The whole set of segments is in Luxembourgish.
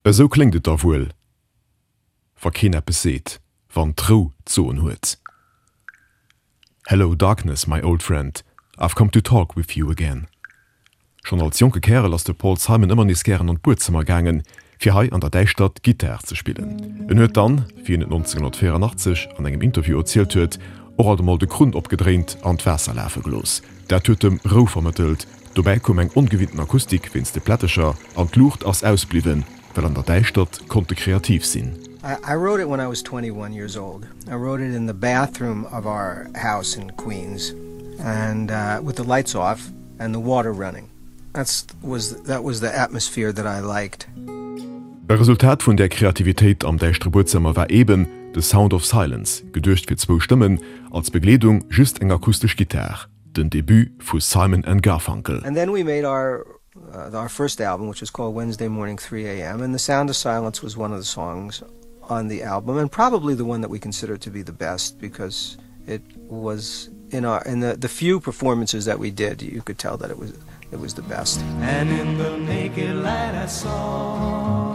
Esou kléngt et da wuel, wa keen eppes seet, wann d'Rou d'Soen huet. Hello darkness my old friend, I've come to talk with you again. Schonn als jonke Kärel ass de Paul Simon ëmmer nees gären an d'Buedzëmmer gaangen, fir hei an der Däischtert Gittar ze spillen. En huet dann, wéi en et 1984 an engem Interview erzielt huet, och alt emol de Krunn opgedréint an d'Waasser lafe gelooss. Dat huet em Rou vermëttelt. Dobäi koum eng ongewinnten Akustik wéinst de Plättecher an d'Luucht ass ausbliwwen, well an der Däischtert konnt e kreativ sinn. I wrote it when I was 21 years old. I wrote it in the bathroom of our house in Queens and with the lights off and the water running. That's was that was the atmosphere that I liked. E Resultat vun där Kreativitéit am däischtere Buedzëmmer war eben The Sound of Silence, geduecht fir zwou Stëmmen, als Begleedung just eng akustesch Gittar, den Debut vu Simon and Garfunkel. And then we made our our first album which was called Wednesday Morning 3 AM and The Sound of Silence was one of the songs on the album and probably the one that we consider to be the best because it was in our in the the few performances that we did you could tell that it was it was the best. And in the naked light I saw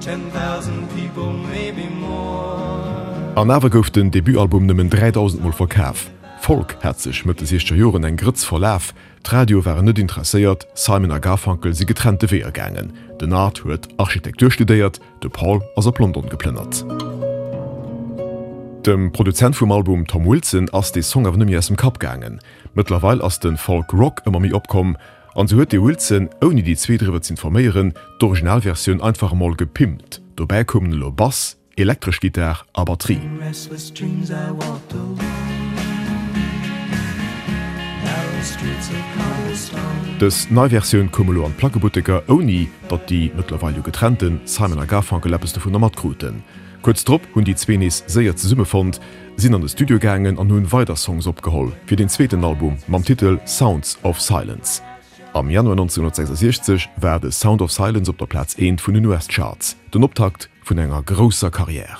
10,000 people maybe more. An awer gouf den Debutalbum nëmmen 3.000 Mol verkaf. Folk hat sech Mëtt de siechzeger Joren eng Grëtz verlaf, d'Radioe waren net interesséiert, Simon a Garfunkel si getrennte Weeër gaangen. Den Art huet Architektur studéiert, De Paul ass op London geplënnert. Dem Produzent vum Album Tom Wilson ass dee Song awer net méi aus dem Kapp gaangen. Mëttlerweil ass de Folk Rock ëmmer méi opkomm an sou huet de Wilson, ouni déi zwee driwwer z'informéieren, d'Originalversioun einfach emol gepimpt. Dobäi koumen elo Bass, elektresch Gittar a Batterie. Dës nei Versioun koum elo an d'Plackebutteker, ouni datt déi mëttlerweil jo getrennte Simon a Garfunkel eppes dovunner matkruten. Kuerz drop hunn déi zwee nees séier zesummefonnt, sinn an de Studio gaangen an hunn weider Songs opgeholl fir den zweeten Album mam Titel Sounds of Silence. Am Januar 1966 war The Sound of Silence op der Plaz eent vun den US-Charts, den Optakt vun enger grousser Karriär.